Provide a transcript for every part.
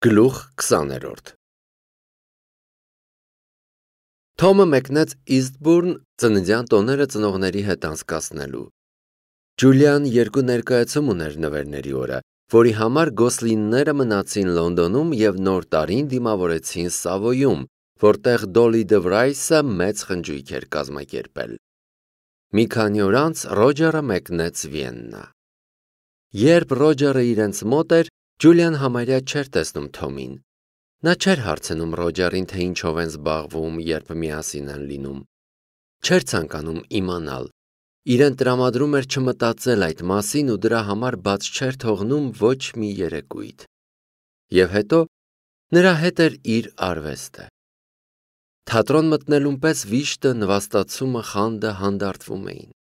Գլուխ 20-րդ Թոմը մեկնեց Իսթբուրն ծննդյան տոները ծնողների հետ անցկացնելու։ Ջուլիան երկու ներկայացում ուներ նվերների օրը, որի համար Գոսլինները մնացին Լոնդոնում և նոր տարին դիմավորեցին Սավոյում, որտեղ Դոլլի Դվրայսը մեծ խնջույք էր կազմակերպել։ Մի քանի օր անց Ռոջերը մեկնեց Վիեննա։ Երբ Ռոջերը իրենց մոտ էր, Ջուլիան համարյա չէր տեսնում Թոմին։ Նա չէր հարցնում Ռոջերին, թե ինչով են զբաղվում, երբ միասին են լինում։ Չէր ցանկանում իմանալ։ Իրեն տրամադրում էր չմտածել այդ մասին ու դրա համար բաց չէր թողնում ոչ մի երեկույթ։ Եվ հետո նրա հետ էր իր արվեստը։ Թատրոն մտնելուն պես վիշտը, նվաստացումը, խանդը հանդարտվում էին։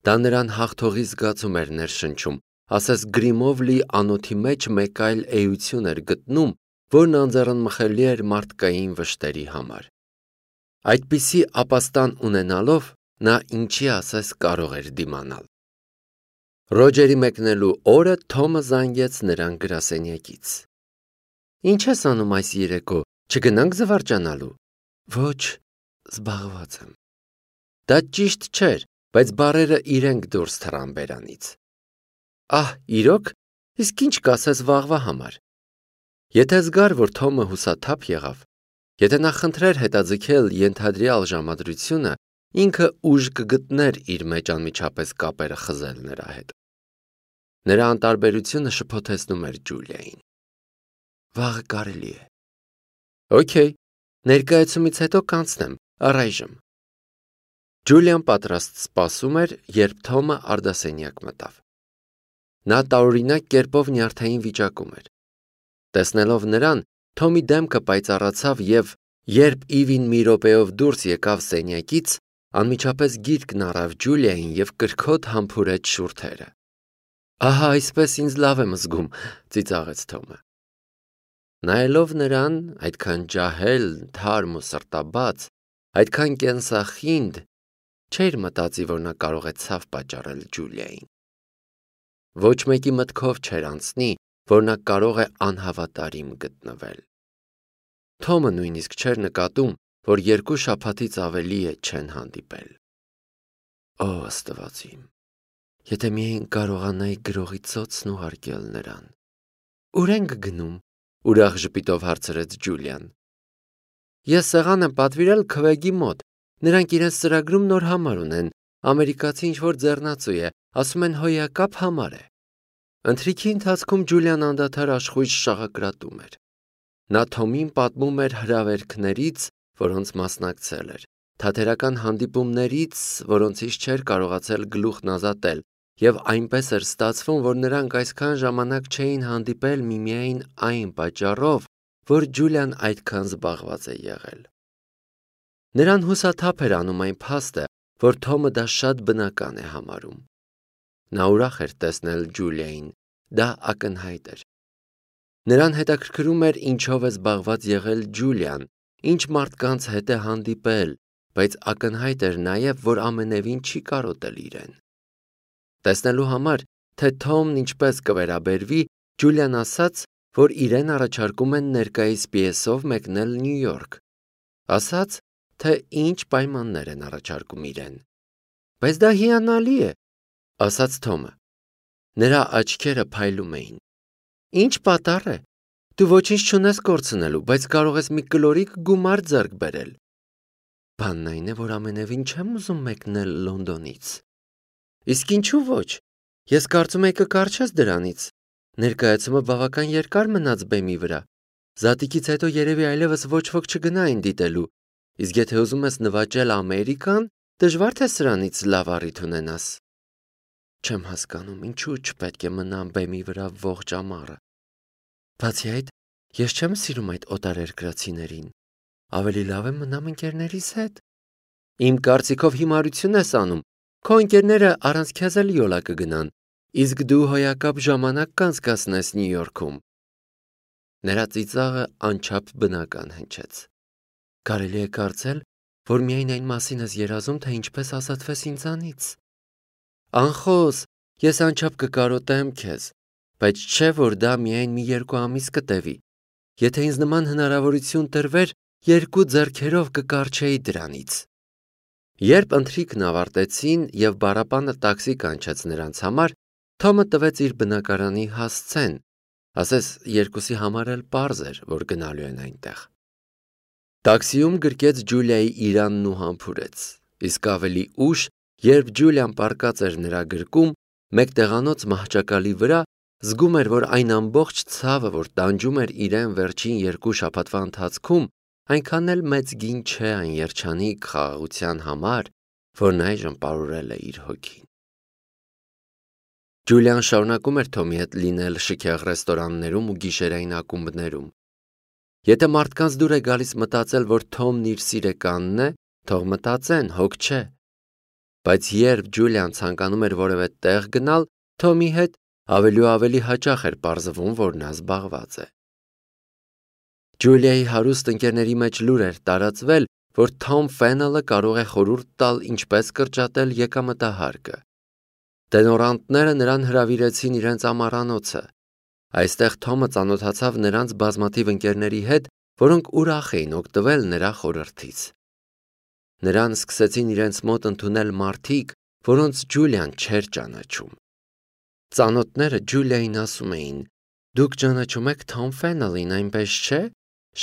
Դա նրան հաղթողի զգացում էր ներշնչում, ասես գրիմով լի անոթի մեջ մեկ այլ էություն էր գտնում, որն անձեռնմխելի էր մարդկային վշտերի համար։ Այդպիսի ապաստան ունենալով նա ինչի ասես կարող էր դիմանալ։ Ռոջերի մեկնելու օրը Թոմը զանգեց նրան գրասենյակից։ Ինչ ես անում այս երեկո, չգնանք զվարճանալու։ Ոչ, զբաղված եմ։ Դա ճիշտ չէր, բայց բառերը իրենք դուրս թռան բերանից։ Ահ, իրոք, իսկ ինչ կասես վաղվա համար։ Եթե զգար, որ Թոմը հուսաթափ եղավ, եթե նա խնդրեր հետաձգել ենթադրյալ ժամադրությունը, ինքը ուժ կգտներ իր մեջ անմիջապես կապերը խզել նրա հետ։ Նրա անտարբերությունը շփոթեցնում էր Ջուլիային։ Վաղը կարելի է։ Okay, ներկայացումից հետո կանցնեմ, առայժմ։ Ջուլիան պատրաստ սպասում էր, երբ Թոմը արդասենյակ մտավ։ Նա տարօրինակ կերպով նյարդային վիճակում էր։ Տեսնելով նրան, Թոմի դեմքը պայծառացավ և, երբ Իվին մի րոպեով դուրս եկավ սենյակից, անմիջապես գիրկն առավ Ջուլիային և կրքոտ համբուրեց շուրթերը։ Ահա այսպես ինձ լավ եմ զգում, ծիծաղեց Թոմը։ Նայելով նրան, այդքան ջահել, թարմ ու սրտաբաց, այդքան կենսախինդ, չէր մտածի, որ նա կարող է ցավ պատճառել Ջուլիային։ Ոչ մեկի մտքով չէր անցնի, որ նա կարող է անհավատարիմ գտնվել։ Թոմը նույնիսկ չէր նկատում, որ 2 շաբաթից ավելի է չեն հանդիպել։ Ո Աստված իմ, եթե միայն կարողանայի գրողի ծոցն ուղարկել նրան։ Ուր ենք գնում, ուրախ ժպիտով հարցրեց Ջուլիան։ Ես սեղան եմ պատվիրել Քվեգի մոտ, նրանք իրենց ծրագրում նոր համար ունեն, ամերիկացի ինչ-որ ձեռնածու է, ասում են հոյակապ համար է։ Ընթրիքի ընթացքում Ջուլիան անդադար աշխույժ շաղակրատում էր։ Նա Թոմին պատմում էր հրավերքներից, որոնց մասնակցել էր, թատերական հանդիպումներից, որոնցից չէր կարողացել գլուխն ազատել, և այնպես էր ստացվում, որ նրանք այսքան ժամանակ չէին հանդիպել միմիայն այն պատճառով, որ Ջուլիան այդքան զբաղված է եղել։ Նրան հուսաթափ էր անում այն փաստը, որ Թոմը դա շատ բնական է համարում։ Նա ուրախ էր տեսնել Ջուլիային, դա ակնհայտ էր։ Նրան հետաքրքրում էր ինչով է զբաղված եղել Ջուլիան, ինչ մարդկանց հետ է հանդիպել, բայց ակնհայտ էր նաև, որ ամենևին չի կարոտել իրեն։ Տեսնելու համար, թե Թոմն ինչպես կվերաբերվի, Ջուլիան ասաց, որ իրեն առաջարկում են ներկայիս պիեսով մեկնել Նյու Յորք։ Ասաց, թե ինչ պայմաններ են առաջարկում իրեն։ Բայց դա հիանալի է, ասաց Թոմը։ Նրա աչքերը փայլում էին։ Ինչ պատառ է։ Դու ոչինչ չունես կորցնելու, բայց կարող ես մի կլորիկ գումար ձեռք բերել։ Բանն այն է, որ ամենևին չեմ ուզում մեկնել Լոնդոնից։ Իսկ ինչու ոչ։ Ես կարծում եի կկարչես դրանից։ Ներկայացումը բավական երկար մնաց բեմի վրա։ Զատիկից հետո երևի այլևս ոչ ոք չգնա այն դիտելու։ Իսկ եթե ուզում ես նվաճել Ամերիկան, դժվար թե սրանից լավ առիթ ունենաս։ Չեմ հասկանում, ինչու չպետք է մնամ բեմի վրա ողջ ամառը։ Բացի այդ, ես չեմ սիրում այդ օտարերկրացիներին։ Ավելի լավ է մնամ ընկերներիս հետ։ Իմ կարծիքով հիմարություն ես անում։ Քո ընկերները առանց քեզ էլ յոլա կգնան, իսկ դու հոյակապ ժամանակ կանցկացնես Նյու Յորքում։ Նրա ծիծաղը անչափ բնական հնչեց։ Կարելի է կարծել, որ միայն այն մասին ես երազում, թե ինչպես ազատվես ինձանից։ Անխոս, ես անչափ կկարոտեմ քեզ, բայց չէ որ դա միայն մի 2 ամիս կտևի, եթե ինձ նման հնարավորություն տրվեր, 2 ձեռքերով կկարչեի դրանից։ Երբ ընթրիքն ավարտեցին եւ բառապանը տաքսի կանչեց նրանց համար, Թոմը տվեց իր բնակարանի հասցեն, ասես երկուսի համար էլ պարզ էր, որ գնալու են այնտեղ։ Տաքսիում գրկեց Ջուլիայի իրանն ու համբուրեց, իսկ ավելի ուշ, երբ Ջուլիան պառկած էր նրա գրկում, մեկ տեղանոց մահճակալի վրա, զգում էր, որ այն ամբողջ ցավը, որ տանջում էր իրեն վերջին 2 շաբաթվա ընթացքում, այնքան էլ մեծ գին չէ այն երջանիկ խաղաղության համար, որն այժմ պարուրել է իր հոգին։ Ջուլիան շարունակում էր Թոմի հետ լինել շքեղ ռեստորաններում ու գիշերային ակումբներում։ Եթե մարդկանց դուր է գալիս մտածել, որ Թոմն իր սիրեկանն է, թող մտածեն, հոգ չէ։ Բայց երբ Ջուլիան ցանկանում էր որևէ տեղ գնալ, Թոմի հետ ավելի ու ավելի հաճախ էր պարզվում, որ նա զբաղված է։ Ջուլիայի հարուստ ընկերների մեջ լուր էր տարածվել, որ Թոմ Ֆենելը կարող է խորհուրդ տալ ինչպես կրճատել եկամտահարկը։ Տենորանտները նրան հրավիրեցին իրենց ամառանոցը։ Այստեղ Թոմը ծանոթացավ նրանց բազմաթիվ ընկերների հետ, որոնք ուրախ էին օգտվել նրա խորհրդից։ Նրան սկսեցին իրենց մոտ ընդունել մարդիկ, որոնց Ջուլիան չէր ճանաչում։ Ծանոթները Ջուլիային ասում էին. «Դուք ճանաչում եք Թոմ Ֆենելին, այնպես չէ՞։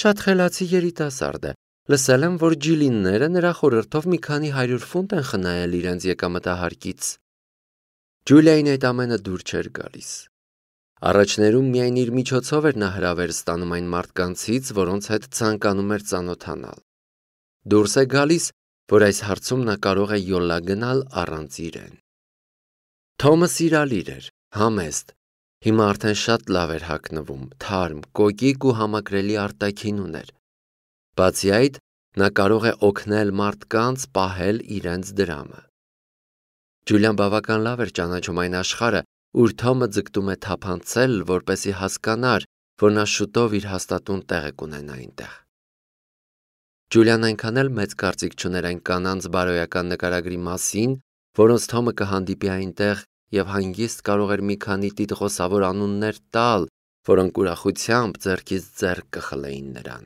Շատ խելացի երիտասարդ է։ Լսել եմ, որ ջիլինները նրա խորհրդով մի քանի 100 ֆունտ են խնայել իրենց եկամտահարկից»։ Ջուլիային այդ ամենը դուր չէր գալիս։ Առաջներում միայն իր միջոցով էր նա հրավեր ստանում այն մարդկանցից, որոնց հետ ցանկանում էր ծանոթանալ։ Դուրս է գալիս, որ այս հարցում նա կարող է յոլա գնալ առանց իրեն։ Թոմը սիրալիր էր, համեստ, հիմա արդեն շատ լավ էր հագնվում, թարմ, կոկիկ ու համակրելի արտաքին ուներ։ Բացի այդ, նա կարող է օգնել մարդկանց պահել իրենց դրամը։ Ջուլիան բավական լավ էր ճանաչում այն աշխարհը, ուր Թոմը ձգտում է թափանցել, որպեսզի հասկանար, որ նա շուտով իր հաստատուն տեղ կունենա այնտեղ։ Ջուլիան այնքան էլ մեծ կարծիք չուներ այն կանանց բարոյական նկարագրի մասին, որոնց Թոմը կհանդիպի այնտեղ եւ հանգիստ կարող էր մի քանի տիտղոսավոր անուններ տալ, որոնք ուրախությամբ ձեռքից ձեռք կխլեին նրան։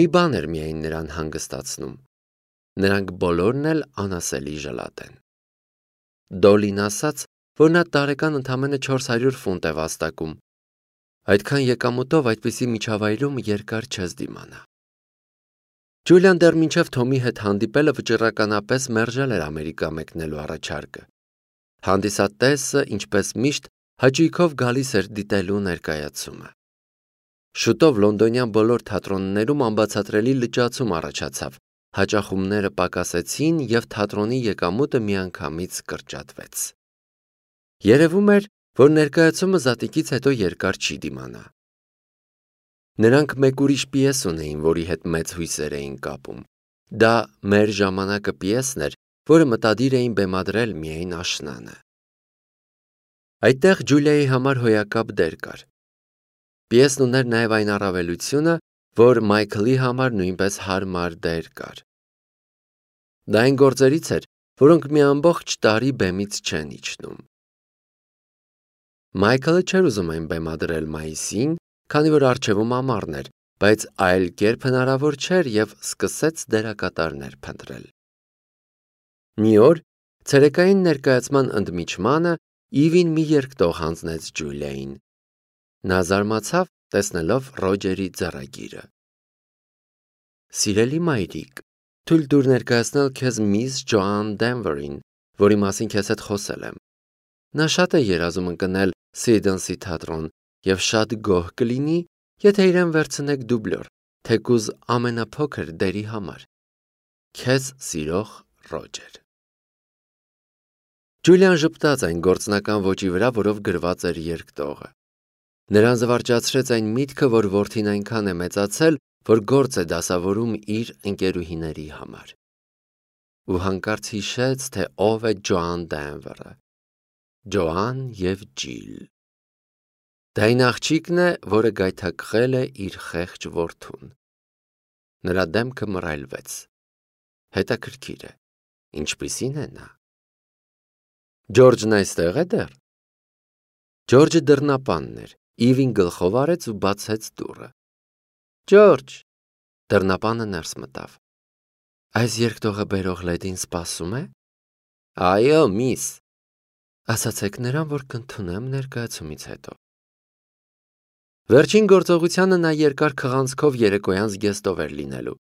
Մի բան էր միայն նրան հանգստացնում։ Նրանք բոլորն էլ անասելի ժլատ են։ Դոլին ասաց, որ նա տարեկան ընդամենը 400 ֆունտ է վաստակում։ Այդքան եկամուտով այդպիսի միջավայրում երկար չես դիմանա։ Ջուլիան դեռ մինչև Թոմի հետ հանդիպելը վճռականապես մերժել էր Ամերիկա մեկնելու առաջարկը։ Հանդիսատեսը, ինչպես միշտ, հաճույքով գալիս էր դիտելու ներկայացումը։ Շուտով լոնդոնյան բոլոր թատրոններում անբացատրելի լճացում առաջացավ, հաճախումները պակասեցին և թատրոնի եկամուտը միանգամից կրճատվեց։ Երևում էր, որ ներկայացումը զատիկից հետո երկար չի դիմանա։ Նրանք մեկ ուրիշ պիես ունեին, որի հետ մեծ հույսեր էին կապում։ Դա «Մեր ժամանակը» պիեսն էր, որը մտադիր էին բեմադրել միայն աշնանը։ Այդտեղ Ջուլիայի համար հոյակապ դեր կար։ Պիեսն ուներ նաև այն առավելությունը, որ Մայքլի համար նույնպես հարմար դեր կար։ Դա այն գործերից էր, որոնք մի ամբողջ տարի բեմից չեն իջնում։ Մայքլը չէր ուզում այն բեմադրել մայիսին, քանի որ առջևում ամառն էր, բայց այլ կերպ հնարավոր չէր և սկսեց դերակատարներ փնտրել։ Մի օր, ցերեկային ներկայացման ընդմիջմանը, Իվին մի երկտող հանձնեց Ջուլիային։ Նա զարմացավ, տեսնելով Ռոջերի ձեռագիրը։ Սիրելի մայրիկ, թույլ տուր ներկայացնել քեզ միս Ջոան Դենվերին, որի մասին քեզ հետ խոսել եմ։ Նա շատ է երազում ընկնել Սիդենսի թատրոն և շատ գոհ կլինի, եթե իրեն վերցնեք դուբլոր, թեկուզ ամենափոքր դերի համար։ Քեզ սիրող Ռոջեր։ Ջուլիան ժպտաց այն գործնական ոճի վրա, որով գրված էր երկտողը։ Նրան զվարճացրեց այն միտքը, որ որդին այնքան է մեծացել, որ գործ է դասավորում իր ընկերուհիների համար։ Ու հանկարծ հիշեց, թե ով է Ջոան Դենվերը։ Ջոան և Ջիլ։ Դա այն աղջիկն է, որը գայթակղել է իր խեղճ որդուն։ Նրա դեմքը մռայլվեց։ Հետաքրքիր է, ինչպիսին է նա։ Ջորջն այստեղ է դեռ։ Ջորջը դռնապանն էր, Իվին գլխով արեց ու բացեց դուռը։ Ջորջ, դռնապանը ներս մտավ։ Այս երկտողը բերող լեդին սպասում է։ Այո, միս։ Ասացեք նրան, որ կընդունեմ ներկայացումից հետո։ Վերջին գործողությանը նա երկար քղանցքով երեկոյան զգեստով էր լինելու։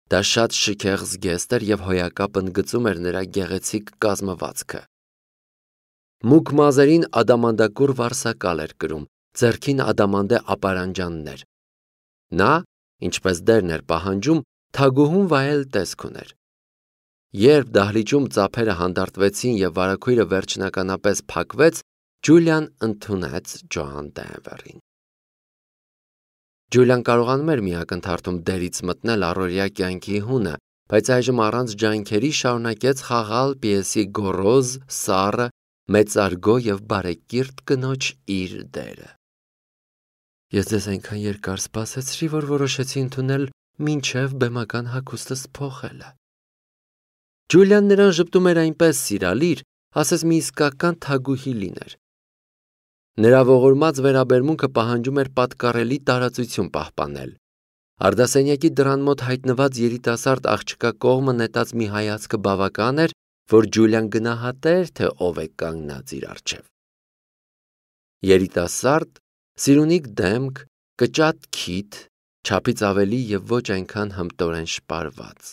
Դա շատ շքեղ զգեստ էր և հոյակապ ընդգծում էր նրա գեղեցիկ կազմվածքը։ Մուգ մազերին ադամանդակուռ վարսակալ էր կրում, ձեռքին ադամանդե ապարանջաններ։ Նա, ինչպես դերն էր պահանջում, թագուհուն վայել տեսք ուներ։ Երբ դահլիճում ծափերը հանդարտվեցին և վարագույրը վերջնականապես փակվեց, Ջուլիան ընդունեց Ջոան Դենվերին։ Ջուլիան կարողանում էր մի ակնթարթում դերից մտնել առօրյա կյանքի հունը, բայց այժմ առանց ջանքերի շարունակեց խաղալ պիեսի գոռոզ, սառը, մեծարգո և բարեկիրթ կնոջ իր դերը։ Ես ձեզ այնքան երկար սպասեցրի, որ որոշեցի ընդունել մինչև բեմական հագուստս փոխելը։ Ջուլիան նրան ժպտում էր այնպես սիրալիր, ասես մի իսկական թագուհի լիներ։ Նրա ողորմած վերաբերմունքը պահանջում էր պատկառելի տարածություն պահպանել։ Արդասենյակի դռան մոտ հայտնված երիտասարդ աղջկա կողմը նետած մի հայացքը բավական էր, որ Ջուլիան գնահատեր, թե ով է կանգնած իր առջև։ Երիտասարդ, սիրունիկ դեմք, կճատ քիթ, չափից ավելի և ոչ այնքան հմտորեն շպարված։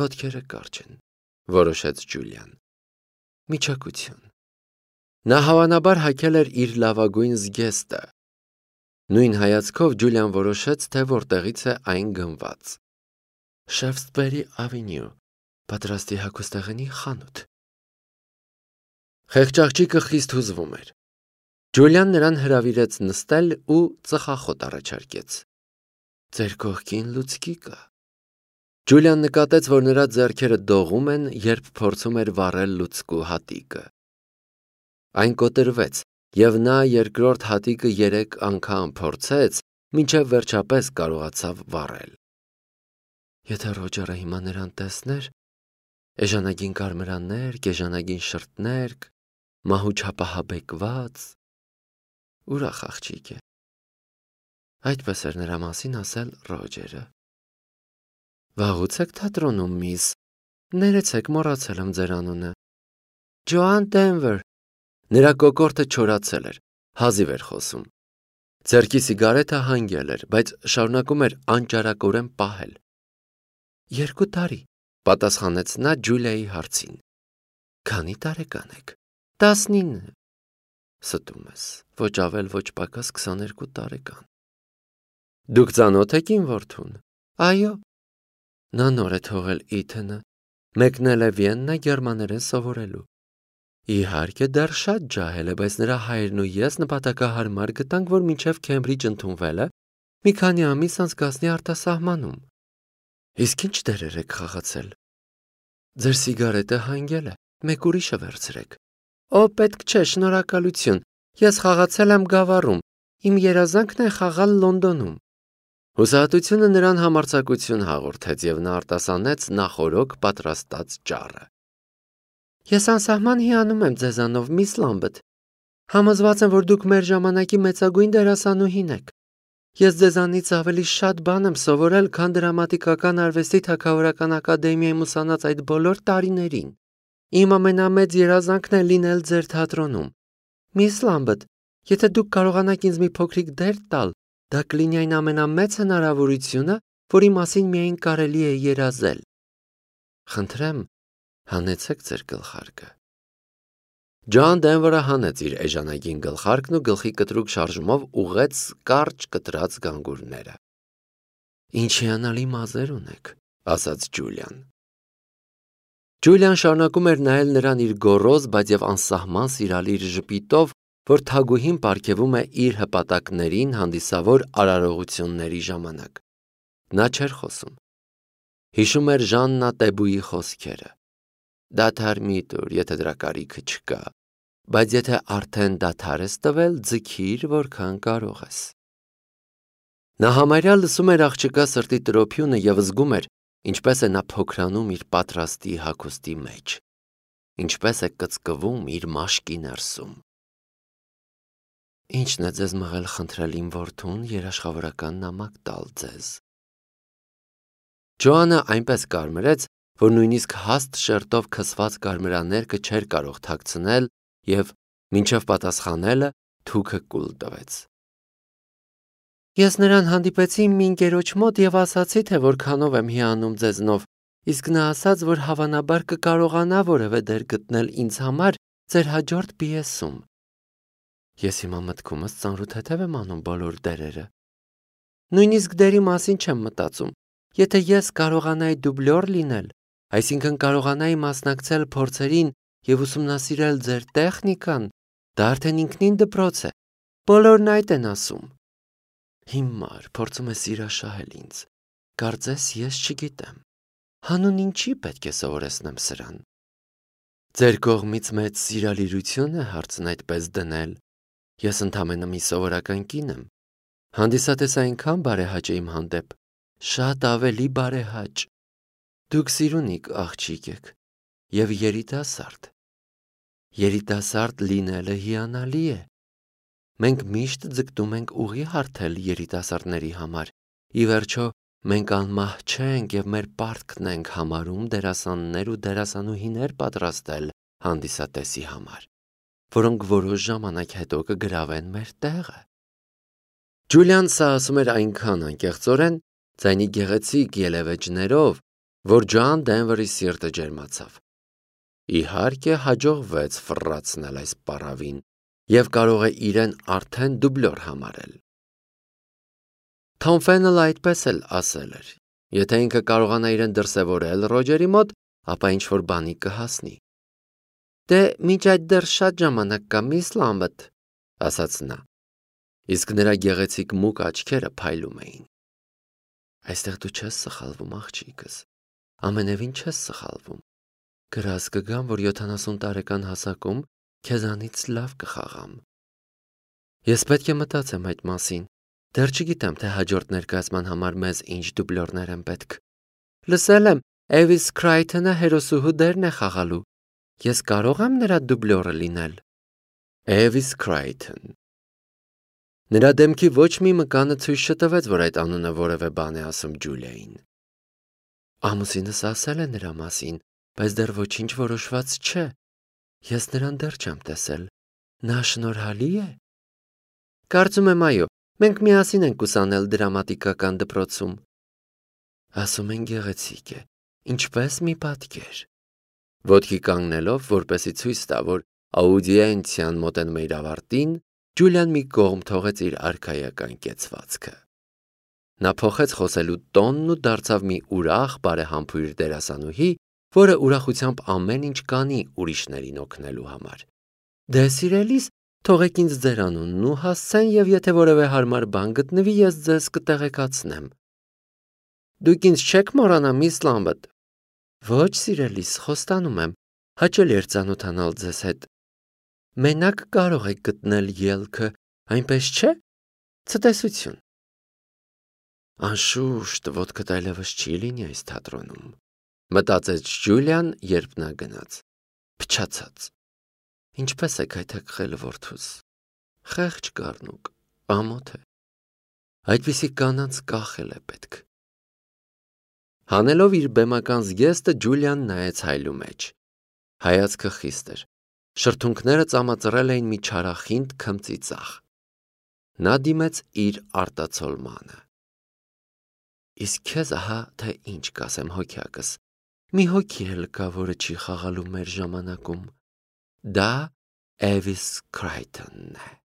Ոտքերը կարճ են, որոշեց Ջուլիան։ Միջակություն։ Նա հավանաբար հագել էր իր լավագույն զգեստը։ Նույն հայացքով Ջուլիան որոշեց, թե որտեղից է այն գնված։ Շեֆսբերի ավենյու, պատրաստի հագուստեղենի խանութ։ Խեղճ խիստ հուզվում էր։ Ջուլիան նրան հրավիրեց նստել ու ծխախոտ առաջարկեց։ Ձեր կողքին լուցկի կա։ Ջուլիան նկատեց, որ նրա ձեռքերը դողում են, երբ փորձում էր վառել լուցկու հատիկը։ Այն կոտրվեց, և նա երկրորդ հատիկը 3 անգամ փորձեց, մինչև վերջապես կարողացավ վառել։ Եթե Ռոջերը հիմա նրան տեսներ, էժանագին կարմրաններ, գեժանագին շրթներ, մահու չափահաբեկված, ուրախ աղջիկ է։ Այդպես էր նրա մասին ասել Ռոջերը։ Վաղուց եք թատրոնում, միս, ներեցեք, մոռացել եմ ձեր անունը։ Ջոան Դենվեր։ Նրա կոկորդը չորացել էր, հազիվ էր խոսում։ Ձեռքի սիգարետը հանգել էր, բայց շարունակում էր անճարակորեն պահել։ 2 տարի, պատասխանեց նա Ջուլիայի հարցին։ Քանի տարեկան եք։ 19։ Ստում ես, ոչ ավել, ոչ պակաս 22 տարեկան։ Դուք ծանոթ եք իմ որդուն։ Այո։ Նա նոր է թողել Իթենը, մեկնել է Վիեննա գերմաներեն սովորելու։ Իհարկե դեռ շատ ջահել է, բայց նրա հայրն ու ես նպատակահարմար գտանք, որ մինչև Քեմբրիջ ընդունվելը մի քանի ամիս անցկացնի արտասահմանում։ Իսկ ինչ դերեր եք խաղացել։ Ձեր սիգարետը հանգել է, մեկ ուրիշը վերցրեք։ Օ, պետք չէ, շնորհակալություն։ Ես խաղացել եմ Գավառում, իմ երազանքն է խաղալ Լոնդոնում։ Հուսահատությունը նրան համարձակություն հաղորդեց, և նա արտասանեց նախօրոք պատրաստած ճառը։ Ես անսահման հիանում եմ ձեզանով, միս Լամբեթ։ Համոզված եմ, որ դուք մեր ժամանակի մեծագույն դերասանուհին եք։ Ես ձեզանից ավելի շատ բան եմ սովորել, քան դրամատիկական արվեստի թագավորական ակադեմիայում ուսանած այդ բոլոր տարիներին։ Իմ ամենամեծ երազանքն է լինել ձեր թատրոնում։ Միս Լամբեթ, եթե դուք կարողանաք ինձ մի փոքրիկ դեր տալ, դա կլինի այն ամենամեծ հնարավորությունը, որի մասին միայն կարելի է երազել։ Խնդրեմ, հանեցեք ձեր գլխարկը։ Ջոան Դենվերը հանեց իր էժանագին գլխարկն ու գլխի կտրուկ շարժումով ուղղեց կարճ կտրած գանգուրները։ Ինչ հիանալի մազեր ունեք, ասաց Ջուլիան։ Ջուլիան շարունակում էր նայել նրան իր գոռոզ, բայց և անսահման սիրալիր ժպիտով, որ թագուհին պարգևում է իր հպատակներին հանդիսավոր արարողությունների ժամանակ։ Նա չէր խոսում։ Հիշում էր Ժաննա Տեբուի խոսքերը։ Դադար մի տուր, եթե դրա կարիքը չկա, բայց եթե արդեն դադար ես տվել, ձգիր, որքան կարող ես։ Նա համարյա լսում էր աղջկա սրտի տրոփյունը և զգում էր, ինչպես է նա փոքրանում իր պատրաստի հագուստի մեջ, ինչպես է կծկվում իր մաշկի ներսում։ Ինչն է ձեզ մղել խնդրել իմ որդուն երաշխավորական նամակ տալ ձեզ։ Ջոանը այնպես կարմրեց, որ նույնիսկ հաստ շերտով քսված կարմրաներկը չէր կարող թաքցնել և մինչև պատասխանելը թուքը կուլ տվեց։ Ես նրան հանդիպեցի մի ընկերոջ մոտ և ասացի, թե որքանով եմ հիանում ձեզնով, իսկ նա ասաց, որ հավանաբար կկարողանա որևէ դեր գտնել ինձ համար ձեր հաջորդ պիեսում։ Ես հիմա մտքումս ծանրութեթև եմ անում բոլոր դերերը։ Նույնիսկ դերի մասին չեմ մտածում։ Եթե ես կարողանայի դուբլյոր լինել, այսինքն կարողանայի մասնակցել փորձերին և ուսումնասիրել ձեր տեխնիկան, դա արդեն ինքնին դպրոց է։ Բոլորն այդ են ասում։ Հիմար փորձում է սիրաշահել ինձ։ Կարծես ես չգիտեմ։ Հանուն ինչի պետք է սովորեցնեմ սրան։ Ձեր կողմից մեծ սիրալիրություն է հարցն այդպես դնել։ Ես ընդամենը մի սովորական կին եմ։ Հանդիսատես այնքան բարեհաճ է իմ հանդեպ, շատ ավելի բարեհաճ։ Դուք սիրունիկ աղջիկ եք և երիտասարդ։ Երիտասարդ լինելը հիանալի է։ Մենք միշտ ձգտում ենք ուղի հարթել երիտասարդների համար։ Ի վերջո, մենք անմահ չենք և մեր պարտքն ենք համարում դերասաններ ու դերասանուհիներ պատրաստել հանդիսատեսի համար, որոնք որոշ ժամանակ հետո կգրավեն մեր տեղը։ Ջուլիան սա ասում էր այնքան անկեղծորեն, ձայնի գեղեցիկ ելևէջներով, որ Ջոան Դենվերի սիրտը ջերմացավ։ Իհարկե հաջողվեց ֆռռացնել այս պառավին և կարող է իրեն արդեն դուբլյոր համարել։ Թոմ Ֆեննելը այդպես էլ ասել էր. եթե ինքը կարողանա իրեն դրսևորել Ռոջերի մոտ, ապա ինչ-որ բանի կհասնի։ Դե մինչ այդ դեռ շատ ժամանակ կա, միս Լամբեթ, ասաց նա, իսկ նրա գեղեցիկ մուգ աչքերը փայլում էին։ Այստեղ դու չես սխալվում, աղջիկս, ամենևին չես սխալվում։ Գրած կգամ, որ 70 տարեկան հասակում քեզանից լավ կխաղամ։ Ես պետք է մտածեմ այդ մասին։ Դեռ չգիտեմ, թե հաջորդ ներկայացման համար մեզ ինչ դուբլյորներ են պետք։ Լսել եմ, Էվիս Քրայթոնը հերոսուհու դերն է խաղալու։ Ես կարող եմ նրա դուբլյորը լինել։ Էվիս Քրայթոն։ Նրա դեմքի ոչ մի մկանը ցույց չտվեց, որ այդ անունը որևէ բան է ասում Ջուլիային։ Ամուսինս ասել է նրա մասին, բայց դեռ ոչինչ որոշված չէ։ Ես նրան դեռ չեմ տեսել։ Նա շնորհալի է։ Կարծում եմ, այո, մենք միասին ենք ուսանել դրամատիկական դպրոցում։ Ասում են գեղեցիկ է, ինչպես մի պատկեր։ Ոտքի կանգնելով, որպեսի ցույց տա, որ աուդիենցիան մոտենում է իր ավարտին, Ջուլիան մի կողմ թողեց իր արքայական կեցվածքը։ Նա փոխեց խոսելու տոնն ու դարձավ մի ուրախ բարեհամբույր դերասանուհի, որը ուրախությամբ ամեն ինչ կանի ուրիշներին օգնելու համար։ Դե սիրելիս, թողեք ինձ ձեր անունն ու հասցեն, և եթե որևէ հարմար բան գտնվի, ես ձեզ կտեղեկացնեմ։ Դուք ինձ չեք մոռանա, միս Լամբեթ։ Ոչ, սիրելիս, խոստանում եմ, հաճելի էր ծանոթանալ ձեզ հետ։ Մենակ կարող եք գտնել ելքը, այնպես չէ։ Ցտեսություն։ Անշուշտ ոտքդ այլևս չի լինի այս թատրոնում, մտածեց Ջուլիան, երբ նա գնաց։ Փչացած։ Ինչպես է գայթակղել որդուս։ Խեղճ կառնուկ, ամոթ է։ Այդպիսի կանանց կախել է պետք։ Հանելով իր բեմական զգեստը Ջուլիան նայեց հայլու մեջ։ Հայացքը խիստ էր։ Շրթունքները ծամածռել էին մի չարախինդ քմծի ծախ։ Նա դիմեց իր արտացոլմանը։ Իսկ քեզ ահա թե ինչ կասեմ հոգյակս։ Մի հոգի էլ կա, որը չի խաղալու մեր ժամանակում։ Դա Էվիս Քրայթոնն է։